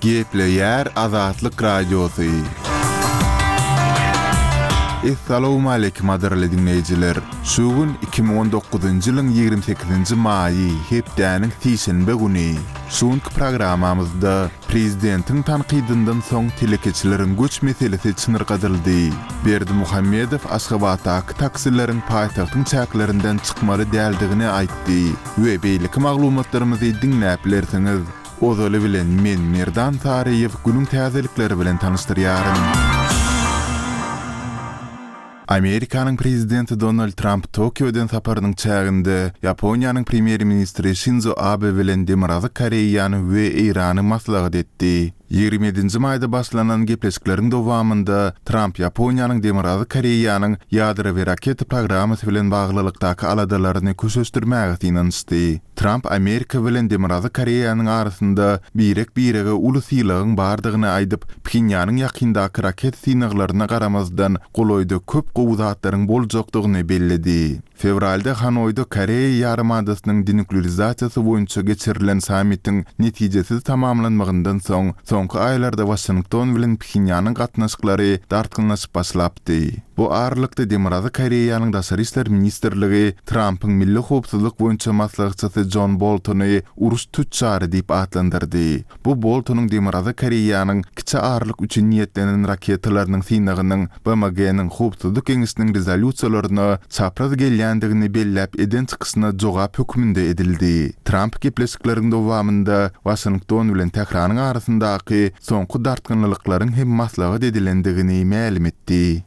Gepleýär Azatlyk Radiosy. Essalawmaleýkim gadyrly diňleýjiler! Şu gün 2019-njy ýylyň 28-nji maýy, hepdäniň sişenbe güni. Şu günki programmamyzda Prezidentiň tankydyndan soň telekeçileriň göç meselesi çynyrgadyldy. Berdimuhamedow Aşgabatdaky taksileriň paýtagtyň çäklerinden çykmaly däldigini aýtdy we beýleki maglumatlarymyzy diňläp bilersiňiz. Ozaly bilen men Merdan Saryýew günüň täzelikleri bilen tanyşdyrýaryn. Amerikanyň prezidenti Donald Tramp Tokio eden saparynyň çäginde Ýaponiýanyň premýer-ministri Şinzo Abe bilen Demirgazyk Koreýany we Eýrany maslahat etdi. 27 nji maýda başlanan gepleşikleriň dowamynda Tramp Ýaponiýanyň Demirgazyk Koreýanyň ýadro we raketa programmasy bilen baglylykdaky aladalaryny köşeşdirmäge synanyşdy. Tramp Amerika bilen Demirgazyk Koreýanyň arasynda birek-birege uly sylagyň bardygyny aýdyp, Phenýanyň ýakyndaky raketa synaglaryna garamazdan, golaýda köp gowy zatlaryň boljakdygyny belledi. Fewralda Hanoýda Koreýa ýarymadasynyň denuklerizasiýasy boýunça geçirilen sammitiň netijesiz tamamlanmagyndan soň, soňky aýlarda Waşington bilen Phenýanyň gatnaşyklary dartgynlaşyp başlapdy. Bu aralykda Demirgazyk Koreýanyň Daşary işler ministrligi Trampyň milli howpsuzlyk boýunça maslahatçysy Jon Boltony uruş tüçjary diýip atlandyrdy. Bu Boltonyň Demirgazyk Koreýanyň kiçi aralyk üçin niýetlenen raketalarynyň synagynyň BMG-niň Howpsuzlyk Geňeşiniň rezolýusiýalaryna çapraz gelýändigini belläp eden çykyşyna jogap hökmünde edildi. Tramp gepleşikleriň dowamynda Waşington bilen Tähranyň arasyndaky soňky dartgynlylyklaryň hem maslahat edilendigini mälim etdi.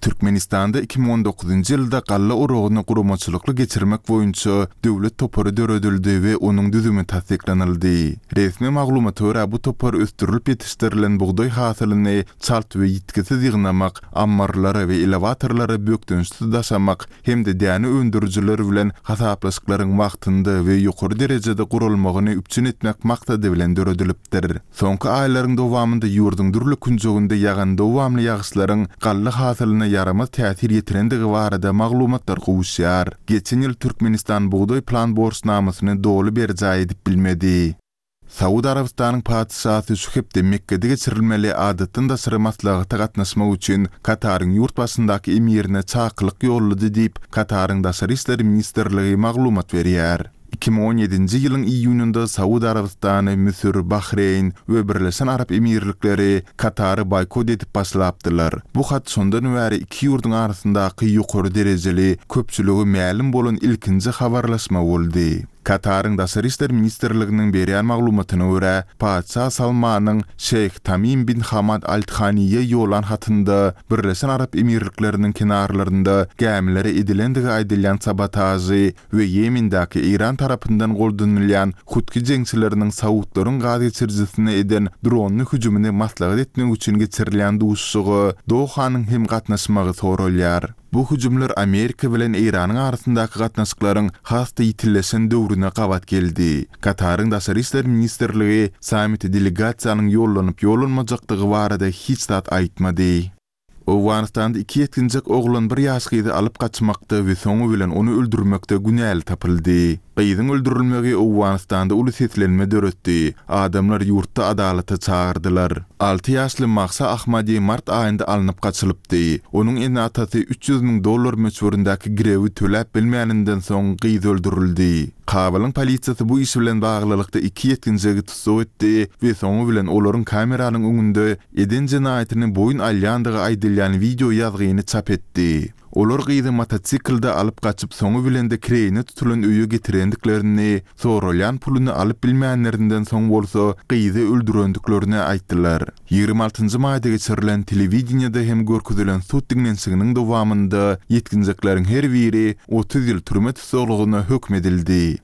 Türkmenistanda 2019-njy ýylda galla oragyny guramaçylykly geçirmek boýunça döwlet topary döredildi we onuň düzümi tassyklanyldy. Resmi maglumata görä, bu topar ösdürilip ýetişdirilen bugdaý hasylyny çalt we ýitgisiz ýygnamak, ammarlara we elewatorlara bökdençsiz daşamak hem-de däne öndürijiler bilen hasaplaşyklaryň wagtynda we ýokary derejede guralmagyny üpjün etmek maksady bilen döredilipdir. Soňky aýlaryň dowamynda ýurduň dürli künjeginde ýagan dowamly ýagyşlaryň galla hasylyna ýaramaz täsir ýetirendigi barada maglumatlar gowuşýar. Geçen ýyl Türkmenistan bugdaý plan borçnamasyny doly berjaý edip bilmedi. Saud Arabystanyň Patyşasy şu hepde Mekgede geçirilmeli adatdan daşary maslahata gatnaşmak üçin Kataryň ýurt başyndaky emirine çakylyk ýollady diýip, Kataryň Daşary işler ministrligi maglumat berýär. 2017-nji ýylyň iýunynda Saud Arabystany, Müsür, Bahreýn we Birleşen Arap Emirlikleri Katary boýkot edip başlapdylar. Bu hat şondan bäri iki ýurduň arasyndaky ýokary derejeli, köpçülige mälim bolan ilkinji habarlaşma boldy. Kataryň Daşary işler ministrliginiň berýän maglumatyna görä, Patyşa Salmanyň Şeýh Tamim bin Hamad Al Thaniýe ýollan hatynda Birleşen Arap Emirlikleriniň kenarlarynda gämilere edilendigi aýdylýan sabotažy we Ýemendäki Eýran tarapyndan goldanylýan hutgi jeňçileriniň saudlaryň gaz geçirijisine eden dronly hüjümini maslahat etmek üçin geçirilýän duşuşyga Dohanyň hem gatnaşmagy soralýar. Bu hüjümler Amerika bilen Eýranyň arasyndaky gatnaşyklaryň has-da ýitileşen döwrüne gabat geldi. Kataryň Daşary işler ministrligi sammite delegasiýanyň ýollanyp-ýollanmajakdygy barada hiç zat aýtmady. Owganystanda iki ýetginjek oglan bir ýaş gyzy alyp gaçmakda we soňy bilen ony öldürmekde günäli tapyldy. Gyzyň öldürilmegi Owganystanda uly seslenme döretdi, adamlar ýurtda adalata çagyrdylar. Alty ýaşly Mahsa Ahmadi mart aýynda alnyp gaçylypdy. Onuň ene-atasy 300 müň dollar möçberindäki girewi töläp bilmäninden soň gyz öldürildi. Kabulyň polisiýasy bu iş bilen baglylykda iki ýetginjegi tussag etdi we soňy bilen olaryň kameranyň öňünde eden jenaýatyny boýun alýandygy aýdylýan wideo ýazgyny çap etdi. Olar gyzy motosiklde alyp gaçyp soňy bilen-de kireýine tutulan öýe getirendiklerini, soralýan puluny alyp bilmänlerinden soň bolsa gyzy öldürendiklerini aýtdylar. 26 njy maýda geçirilen telewideniýede hem görkezilen sud diňlenişiginiň dowamynda ýetginjekleriň her biri 30 ýyl türme tussaglygyna höküm edildi.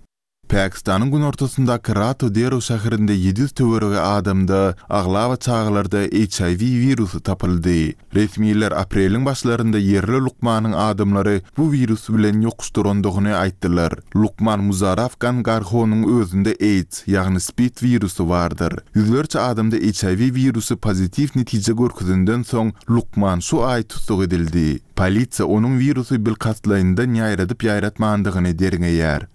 Pakistanyň günortasyndaky Rato Dero şäherinde 700 töweregi adamda, aglaba çagalarda HIV wirusy tapyldy. Resmiler apreliň başlarynda ýerli lukmanyň adamlary bu wirus bilen ýokuşdyrandygyny aýtdylar. Lukman Muzarraf Gangarhonyň özünde AIDS, ýagny spid wirusy bardyr. Ýüzlerçe adamda HIV wirusy pozitiw netije görkezenden soň, lukman şu aý tussag edildi. Polisiýa onuň wirusy bilkastlaýyndan ýaýradyp-ýaýratmandygyny derňeýär.